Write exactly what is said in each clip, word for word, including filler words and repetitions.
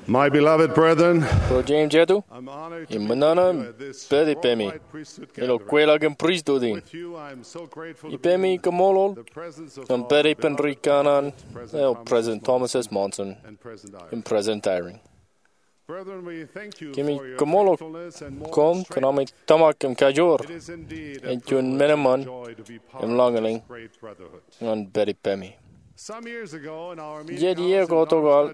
My beloved brethren, ro jeiū im jeiū, im ṃōṇōṇō im pād ippemi ilo kweilọk in pristut in. Ippemi koṃṃool ñan pād ippān ri kanaan eo President Thomas S. Monson im President Eyring. Kōmij koṃṃool koṃ kōn ami tōmak im kajoor. Ej juon men eṃṃan im lọñlọñ ñan pād ippemi. Jet iiō ko tokāāl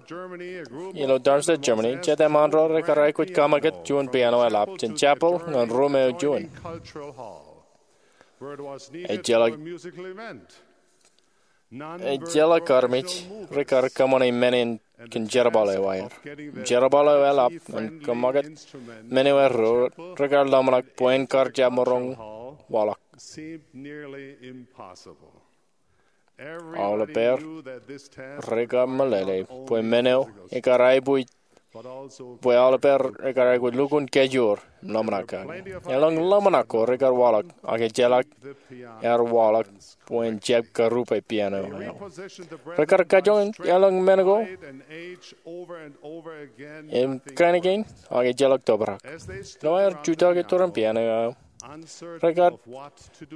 ilo Darmstadt, Germany, jet eṃṃaan ro rekar aikuj kaṃakūt juon piano eḷap jān chapel ñan ruum eo juon. Ejjeḷọk Ejjeḷọk armej rekar kōṃṃane men in kōn jerbal eo aer. Jerbal eo eḷap ñan kaṃakūt men eo erro rekar ḷōmṇak bwe en kar jab maroñ waḷọk. Aolepāer rekar meḷeḷe bwe men eo ekar aikuj bwe aolepāer rekar aikuj lukkuun kajoor im ḷōmṇak kake. Elōñ ḷōmṇak ko rekar waḷọk, ak ejjeḷọk ear waḷọk bwe en jab karupe piano eo. Rekar kajoñan elōñ men ko im kain kein, ak ejjeḷọk tōprak. Ilo aer jutak iturin piano eo, rekar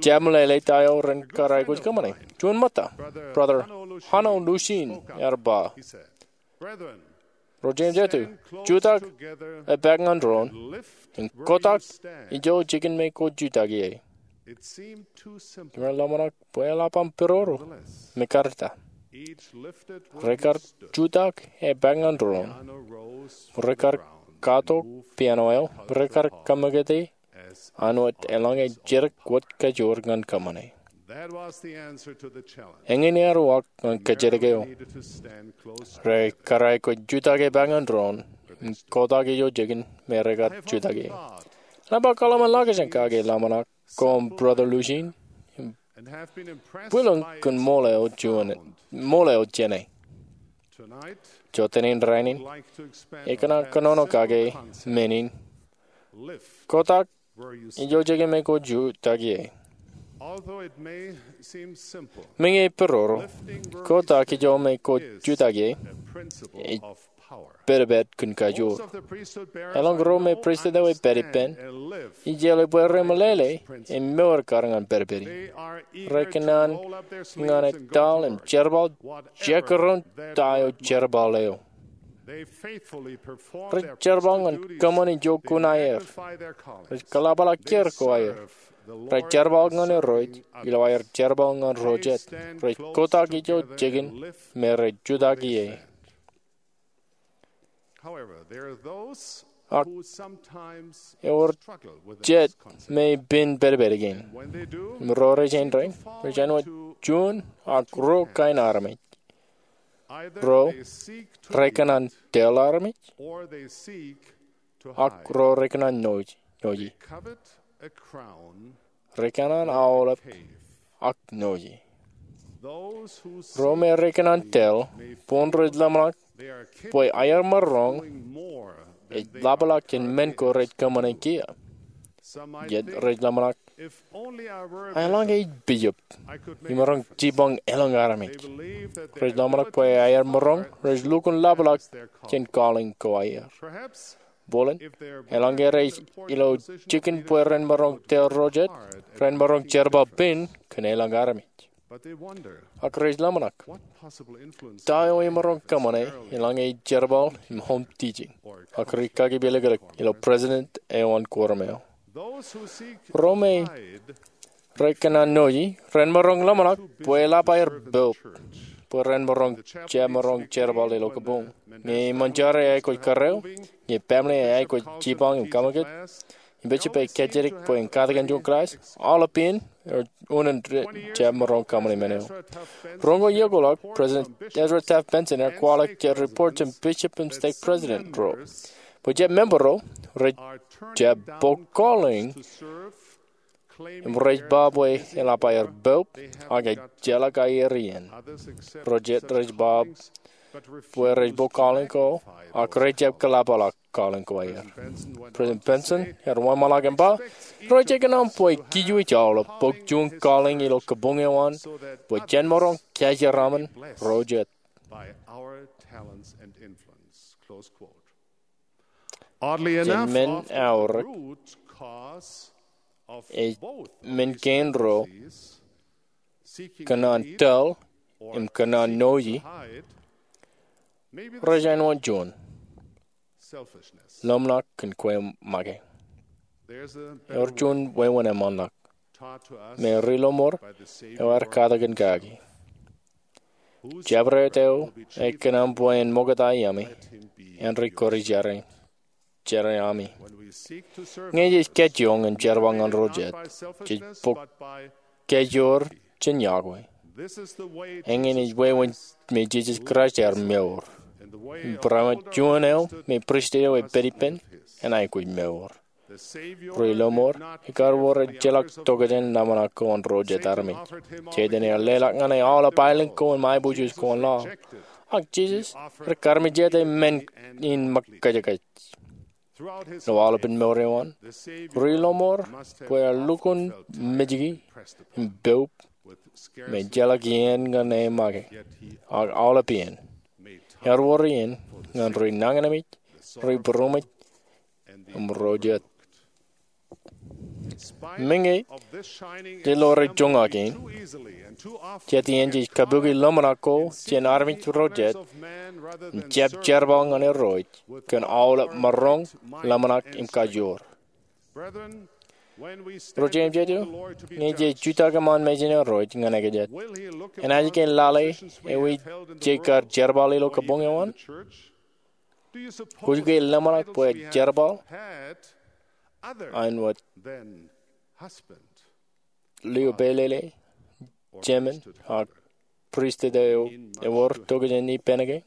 jab meḷeḷe ta eo ren kar aikuj kōṃṃane. Juon ṃōtta, Brother Hanno Lushin ear ba, ro jeiū im jeiū, jutak epaak ñan doon im kotak ijo jikin me kwōj jutak ie. Im ren ḷōmṇak bwe eḷap aṃ peroro me kar ta. Rekar jutak epaak ñan doon, rekar katok piano eo, rekar kaṃakūti an wōt eḷaññe jidik wōt kajoor ñan kōṃṃane. Eñin ear uwaak ñan kōjatdikdik eo. Rekar aikuj jutak epaak ñan doon im kotak ijo jikin me rekar jutak ie. Ij ba kōḷmānḷọkjeṇ kake ḷōmṇak koṃ, Brother Lushin, im bwilōñ kōn ṃool eo jāne. Jọteen in rainin, ikōṇaan kōnono kake men in, kotak ijo jikin me kwōj jutak ie. Meñe ej peroro, kotak ijo me kwōj jutak ie ej pedped kōn kajoor. Elōñ ro me pristut eo ej pād ippān, ij jeḷā bwe remeḷeḷe im mour kar ñan pedpedi. Rekōṇaan ñan etal im jerbal jekdọọn ta eo jerbal eo. Rej jerbal ñan kōṃṃan ijo kuṇaer. Rej kōḷapḷọk kiiō ko aer. Rej jerbal ñan Irooj ilo aer jerbal ñan ro jet. Rej kotak ijo jikin me rej jutak ie. Ak ewōr jet me pen pedped kein. Im ro rej āindein, rej āinwōt juon ak ruo kain armej. Ro rekōṇaan tōl armej, ak ro rekōṇaan noje. Rekōṇaan aolep ak noje. Ro me rekōṇaan tōl, boñ rej ḷōmṇak bwe aer maroñ ej ḷapḷọk jān men ko rej kōṃṃane kiiō. Jet rej ḷōmṇak, eḷaññe ij bishop, imaroñ jipañ elōñ armej. Rej ḷōmṇak bwe aer maroñ rej lukkuun ḷapḷọk jān calling ko aer. Bōlen, eḷaññe rej ilo jikin bwe ren maroñ tōl ro jet, ren maroñ jerbal pen kōn elōñ armej. Ak rej ḷōmṇak, ta eo imaroñ kōṃṃane eḷaññe ij jerbal im home teaching, ak ri-kakipilōklōk ilo president eo an quorum eo. Ro me rekōṇaan noje, ren maroñ ḷōmṇak bwe eḷap aer poub, bwe ren maroñ jab maroñ jerbal ilo kabuñ. Ñe eṃṃan jar ej aikuj kōrā eo, ñe baaṃle ej aikuj jipañ im kaṃakūt, im bishop ej kajjitōk bwe en katakin juon class, aolep iien, ej unin rej jab maroñ kōṃṃane men eo. Roñoul iiō ko ḷọk, President Ezra Taft Benson ear kwaḷọk jet report jān bishop im stake president ro bwe jet member ro rej jab bōk calling im rej ba bwe eḷap aer poub, ak ejjeḷọk aer iien. Ro jet rej ba bwe rej bōk calling ko, ak rej jab kōḷapḷọk calling ko aer. President Benson ear wōnṃaanḷọk im ba, rej ikōṇaan bwe kij wōj aolep bōk juon calling ilo kabuñ eo an, bwe jen maroñ kajeraṃṃan ro jet. Jān men aorōk, ej men kein ro kōṇaan tōl im kōṇaan noji, rej āinwōt juon, ḷōmṇak kōn kwe make. Ewōr juon wāween eṃṃanḷọk me ri-lọmọọr eo ear katakin kaki. Jabdewōt eo ekōṇaan bwe en ṃokta iaami, āindein kōrā jān ami. Ñe jej kajjioñ im jerbal ñan ro jet, jej bōk kajoor jān yokwe. Eñin ej wāween me Jisōs Kraist ear mour im barāinwōt juon eo me pristut eo ej pād ippān en aikuj mour. Ri-lọmọọr, ekar wor ejjeḷọk tokjān ḷōmṇak ko an ro jet armej. Setan ear leḷọk ñan e aolep aelōñ ko im aiboojoj ko an laḷ. Ak Jisōs ear karmejete men in ṃōkkajkaj. Ilo aolepān mour eo an, ri-lọmọọr bwe en lukkuun mejki im poub me ejjeḷọk iien ñan e make. Ak aolep iien, ear wor iien ñan ri nañinmej, ri būroṃōj, im ro jet. Meñe jej lo rej joñak in, jet iien jej kabuki ḷōmṇak ko jān armej ro jet im jab jerbal ñan Irooj kōn aolep maroñ, ḷōmṇak im kajoor. Ro jeiū im jeiū, ñe jej jutak iṃaan mejān Irooj ñan ej jet, enaaj ke lale ewi jej kar jerbal ilo kabuñ eo an? Kwōj ke ḷōmṇak bwe ej jerbal āinwōt lio pālele, jemān, ak pristut eo ewōr tokjān ippān ke?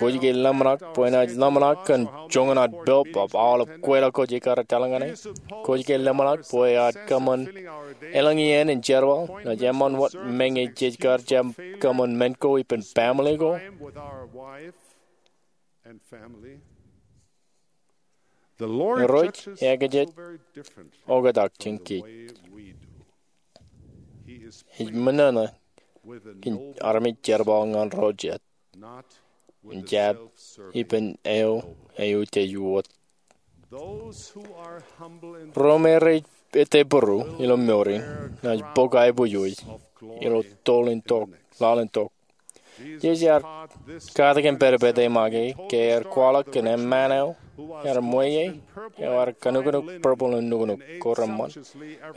Kwōj ke ḷōmṇak bwe enaaj ḷōmṇak kōn joñan ad poub ak aolep kweilọk ko jej kar etal ñan e? Kwōj ke ḷōmṇak bwe eaar kōṃṃan elōñ iien in jerbal, naaj eṃṃan wōt meñe jej kar jab kōṃṃan men ko ippān baaṃle ko? Irooj ekajet oktak jān kōj. Ej ṃōṇōṇō kōn armej jerbal ñan ro jet im jab ippān eo eutiej wōt. Ro me rej etteburu ilo mour in naaj bōk aiboojoj ilo tōl in tok, laḷ in tok. Jisōs ear katakin pedped e make ke ear kwaḷọk kōn eṃṃaan eo ear ṃweiie, eo ear kanuknuk purple im nuknuk ko reṃṃan.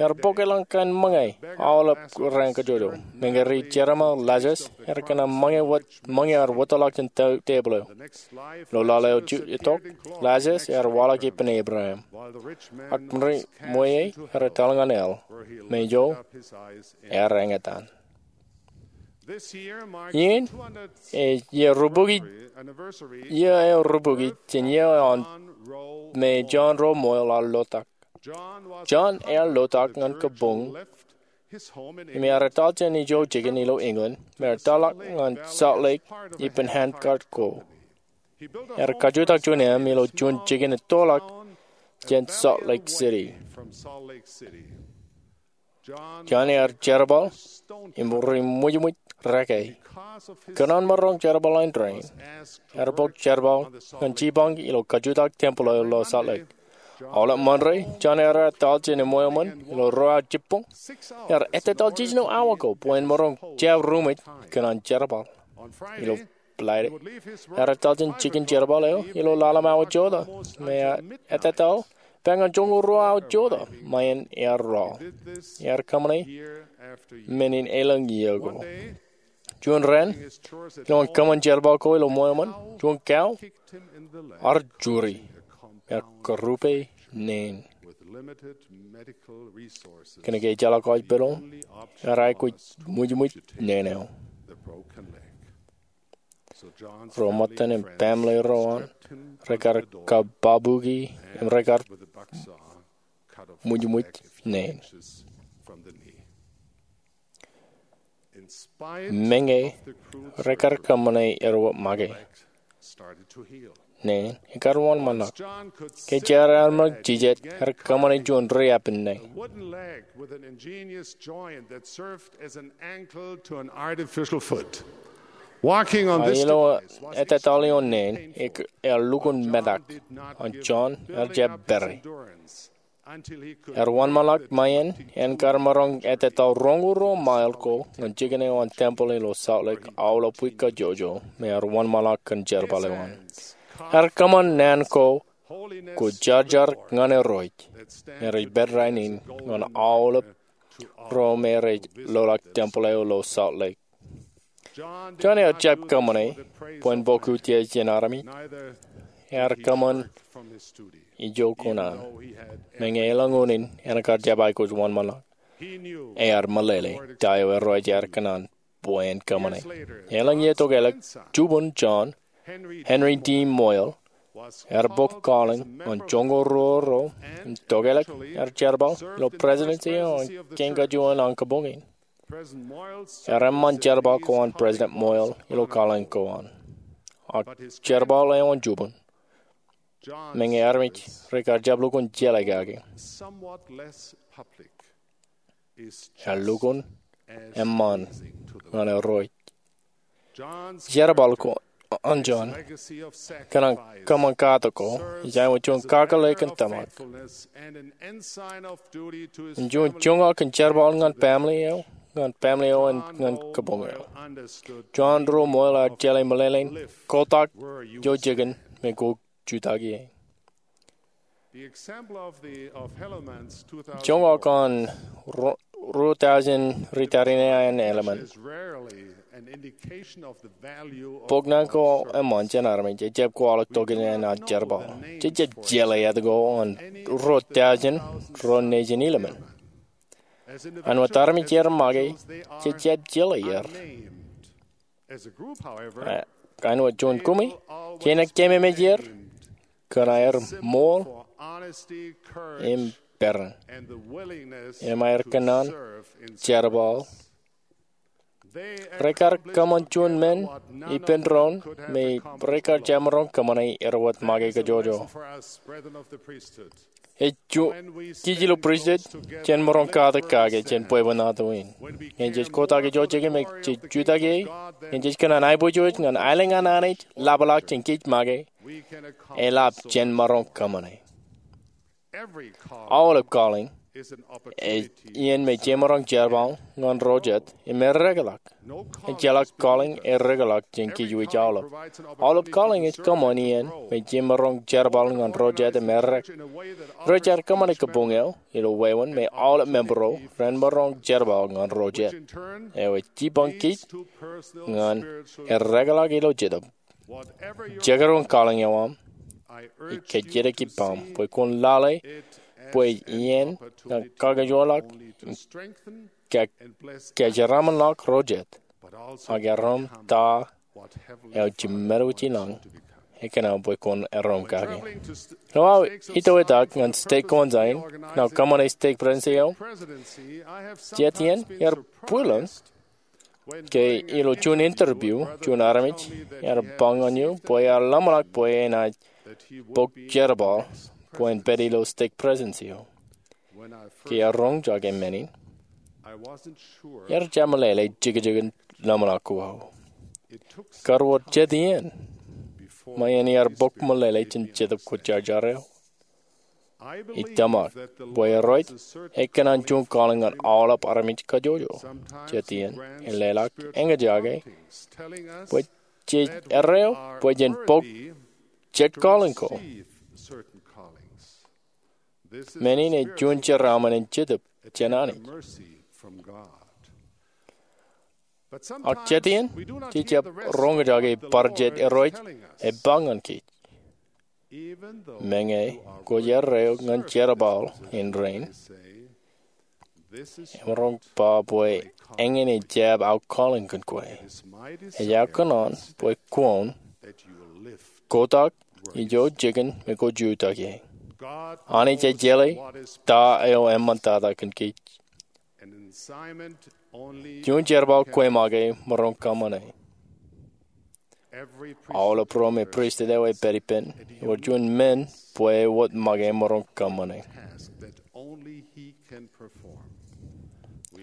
Ear bōk elōñ kain ṃōñā aolep raan kajjojo. Meñe ri-jerbal Lazarus ear kōṇaan ṃōñā wōt, ṃōñā ear wōtḷọk jān tepil eo. Ilo laḷ eo itok, Lazarus ear waḷọk ippān Abraham. Ak ri ṃweiie ear etal ñan hell, me ijo ear eñtaan. Iien, ej iiō rubukwi, iiō eo rubukwi jān iiō eo an me John Rowe Moyle ear lotak. John ear lotak ñan kabuñ im ear etal jān ijo jikin ilo England im ear tōlḷọk ñan Salt Lake ippān handcart ko. Ear kajutak juon eṃ ilo juon jikin ettoḷọk jān Salt Lake City. John ear jerbal im ri ṃwijṃwij reke. Kōn an maroñ jerbal eo an rein, ear bōk jerbal ñan jipañ ilo kajutak tempel eo ilo Salt Lake. Aolep Ṃande, John ear etal jān eṃṃan ilo ruo awa jibboñ. Ear ettetaljej ilo awa ko bwe en maroñ jab ruṃwij kōn an jerbal. Ilo Friday, ear etal jān jikin jerbal eo ilo ḷalem awa jota, im ear ettetaḷ bwe ñan joñoul ruo awa jota ṃae in ear roḷ. Ear kōṃṃane men in elōñ iiō ko. Juon raan, ilo an kōṃṃan jerbal ko ilo ṃweo ṃōn, juon cow ear juri im kōrupe neen. Kōnke ejjeḷọk hospital, ear aikuj ṃwijṃwij neen eo. Ro ṃōttan im baaṃle ro an rekar kabbokbok e im rekar ṃwijṃwij neen. Meñe rekar kōṃṃane erwōj make, neen ekar wōnṃaanḷọk. Ke jar ear ṃōk jijet, ear kōṃṃane juon riab in neen. A wooden leg with an ingenious joint that served as an ankle to an artificial foot. Walking on this ilo etetal ioon neen, ear lukkuun metak, an John ear jab pere. Ear wōnṃaanḷọk ṃae in en kar maroñ etetal roñoul ruo mile ko ñan jikin eo an tempeḷ ilo Salt Lake aolep wiik kajjojo me ear wōnṃaanḷọk kōn jerbal eo an. Ear kōṃṃan naan ko kwōjarjar ñan Irooj me rej pād rainin ñan aolep ro me rej loḷọk tempeḷ eo ilo Salt Lake. John ear jab kōṃṃane bwe en bōk utiej jān armej. Ear kōṃṃan ijo kuṇaan, meñe elōñ unin en kar jab aikuj wōnṃaanḷọk. Ear meḷeḷe ta eo Irooj ear kōṇaan bwe en kōṃṃane. Elōñ iiō tokālik, jubun John, Henry D. Moyle, ear bōk calling ñan joñoul ruo ro im tokālik ear jerbal ilo presidency eo an Kien Kajuon an Kabuñ in. Ear eṃṃan jerbal ko an President Moyle ilo calling ko an. Ak jerbal eo an jubun, meñe armej rekar jab lukkuun jeḷā kake, ear lukkuun eṃṃan ñan Irooj. Jerbal ko an John kōṇaan kōṃṃan katak ko ej āinwōt juon kakōḷḷe kōn tōmak im juon joñak in jerbal ñan family eo, ñan family eo, im ñan kabuñ eo. John ro Moyle ear jeḷā meḷeḷein kotak ijo jikin me kwō jutak ie. Joñak an ruo, ruo thousand ri tariṇae an Helaman bōk naan ko eṃṃan jān armej ejjab kwaḷọk tokjān an ad jerbal. Jej jab jeḷā etke an ruo thousand ro nejin Helaman. Āinwōt armej er make, jej jab jeḷā er. Ak āinwōt juon kumi, jenaaj keememej er kōn aer ṃool im peran im aer kōnnaan jerbal. Rekar kōṃṃan juon men ippān doon me rekar jab maroñ kōṃṃane er wōt make kajjojo. Ej juon, kij ilo pristut jen maroñ katak kake jān bwebwenato in. Ñe jej kotak ijo jikin me jej jutak ie, ñe jej kōṇaan aiboojoj ñan aelōñ an Anij ḷapḷọk jān kij make, eḷap jen maroñ kōṃṃane. Aolep calling ej iien me jemaroñ jerbal ñan ro jet im erekḷọk. Ejjeḷọk calling erekḷọk jān kij wōj aolep. Aolep calling ej kōṃṃan iien me jemaroñ jerbal ñan ro jet im errā. Rej kōṃṃane kabuñ eo ilo wāween me aolep member ro ren maroñ jerbal ñan ro jet, eo ej jipañ kij ñan erekḷọk ilo Jetōb. Jekdọọn calling eo aṃ, ij kajjitōk ippaṃ bwe kwōn lale bwe ej iien ñan kakajoorḷọk im kajeraṃōnḷọk ro jet, ak erom ta eo jiṃṃadwōj ilañ ekōṇaan bwe kwōn erom kake. Ilo aō itoitak ñan stek ko an Zion, ñan kōṃṃane stek presidency eo, jet iien ear bwilōñ ke ilo juon interview, juon armej ear ba ñan eō bwe ear ḷōmṇak bwe enaaj bōk jerbal bwe en pād ilo stek presidency eo. Ke ear roñjake men in, ear jab meḷeḷe jekjekin ḷōmṇak ko aō. Kar wōt jet iien ṃae in ear bōk meḷeḷe jān Jetōb Kwōjarjar eo. Ij tōmak bwe Irooj ekōṇaan juon calling ñan aolep armej kajjojo. Jet iien en leḷọk eñjake bwe jej erreo bwe jen bōk jet calling ko. Men in ej juon jeraaṃṃan in Jetōb jān Anij. Ak jet iien, jej jab roñjake bar jet Irooj ej ba ñan kij. Meñe kwōj erreo ñan jerbal in rein, emaroñ ba bwe eñin ej jab aō calling kōn kwe. Ej aō kōṇaan bwe kwōn kotak ijo jikin me kwōj jutak ie. Anij ej jeḷā ta eo eṃṃantata kōn kij. Juon jerbal kwe make emaroñ kōṃṃane. Aolep ro me pristut eo ej pād ippān ewōr juon men bwe wōt make emaroñ kōṃṃane.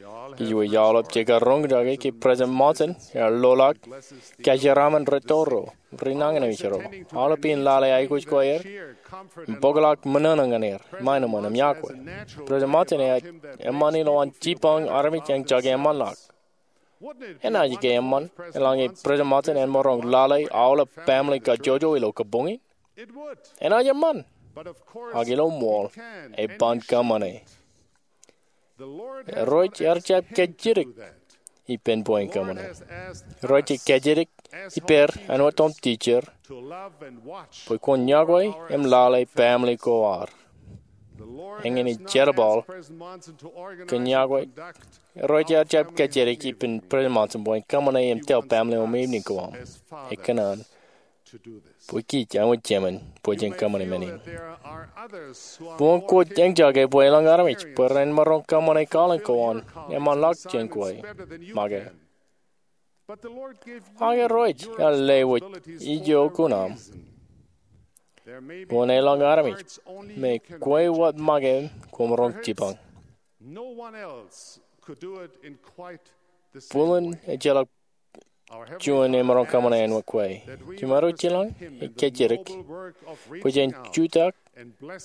Kōj wōj aolep jekar roñjake ke President Monson ear loḷọk kōjeraaṃṃan rūtto ro, ri nañinmej ro, aolep in lale aikuj ko aer im bōkḷọk ṃōṇōṇō ñan er, ṃae eṃṃan im yokwe. President Monson ear eṃṃan ilowaan jipañ armej eñjake eṃṃanḷọk. Enaaj ke eṃṃan eḷaññe President Monson en maroñ lale aolep family kajjojo ilo kabuñ in? Enaaj eṃṃan. Ak ilo ṃool, e ban kōṃṃane. Irooj ear jab kajjitōk ippān bwe en kōṃṃane. Irooj ej kajjitōk ippād āinwōt otemjej bwe kwōn yokwe im lale family ko ad. Eñin ej jerbal kōn yokwe. Irooj ear jab kajjitōk ippān President Monson bwe en kōṃṃane im tōl family otemjej ko aṃ. Ekōṇaan bwe kij āinwōt jemān bwe jen kōṃṃane men in. Boñ kwōj eñjake bwe elōñ armej bwe ren maroñ kōṃṃane kalōñ ko an eṃṃanḷọk jān kwe make. Ak Irooj ear lewōj ijo kuṇaṃ. Boñ elōñ armej me kwe wōt make koṃ roñ jipañ. Bōlen ejjeḷọk juon emaroñ kōṃṃane āinwōt kwe. Jiṃaro jilañ ej kajjitōk bwe jen jutak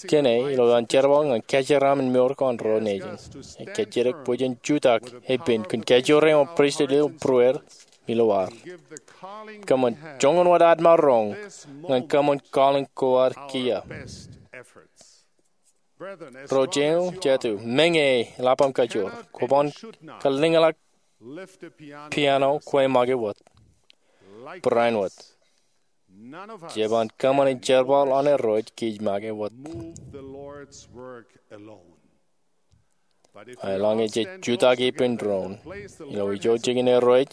kōn e ilo an jerbal ñan kōjeraaṃṃan mour ko an ro nejin. Ej kajjitōk bwe jen jutak epen kōn kajoor eo an pristut ilo būruod im ilo ad. Kōṃṃan joñan wōt ad maroñ ñan kōṃṃan kalōñ ko ad kiiō. Ro jeiū jatū, meñe eḷap aṃ kajoor, kwōban kalliñḷọk piano kwe make wōt. Barāinwōt, jeban kōṃṃane jerbal an Irooj kōj make wōt. Eḷaññe jej jutak ippān doon ilo ijo jikin Irooj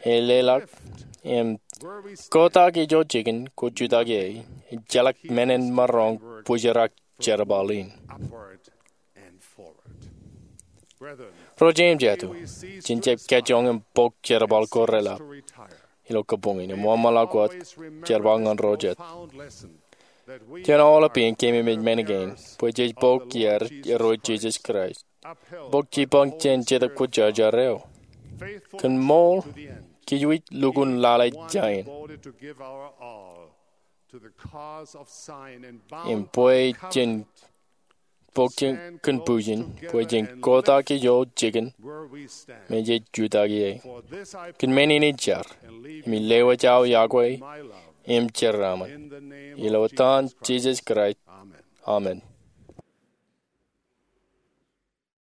e leḷọk im kotak ijo jikin kwōj jutak ie, ejjeḷọk men en maroñ bōjrak jerbal in. Ro jeiū jatū, jen jab kajjoñ im bok jerbal ko reḷap ilo kabuñ in im wōnṃaanḷọk wōt jerbal ñan ro jet. Jen aolep iien keememej men kein bwe jej bok iaad Irooj Jisōs Kraist, bok jipañ jān Jetōb Kwōjarjar eo. Kōn ṃool, kōj wōj lukkuun lale jāān im bwe jen bok kōn bwijin bwe jen kotak ijo jikin me jej jutak ie. Kōn men in ij jar im ij lewōj aō yokwe im jeraaṃṃan ilo etan Jisōs Kraist, amen.